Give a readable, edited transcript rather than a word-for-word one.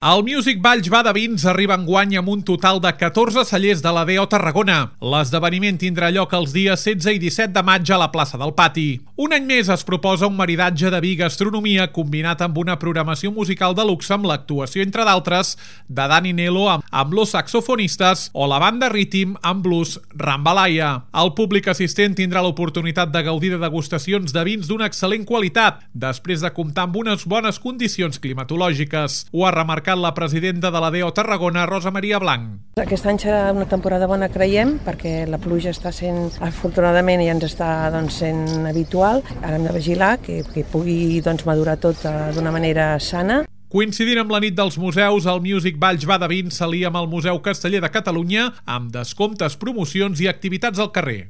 El Music Valls va de vins arriba enguany amb un total de 14 cellers de la DO Tarragona. L'esdeveniment tindrà lloc els dies 16 i 17 de maig a la plaça del Pati. Un any més es proposa un maridatge de vi i gastronomia combinat amb una programació musical de luxe amb l'actuació, entre d'altres, de Dani Nelo amb los saxofonistes o la banda Rhythm amb blues Rambalaya. El públic assistent tindrà l'oportunitat de gaudir de degustacions de vins d'una excel·lent qualitat, després de comptar amb unes bones condicions climatològiques. Ho ha remarcat la presidenta de la DO Tarragona, Rosa Maria Blanc. Aquest any serà una temporada bona, creiem, perquè la pluja està sent, afortunadament, ja ens està sent habitual. Ara hem de vigilar que pugui madurar tot d'una manera sana. Coincidint amb la nit dels museus, el Music Valls va de vins s'alia amb el Museu Casteller de Catalunya amb descomptes, promocions i activitats al carrer.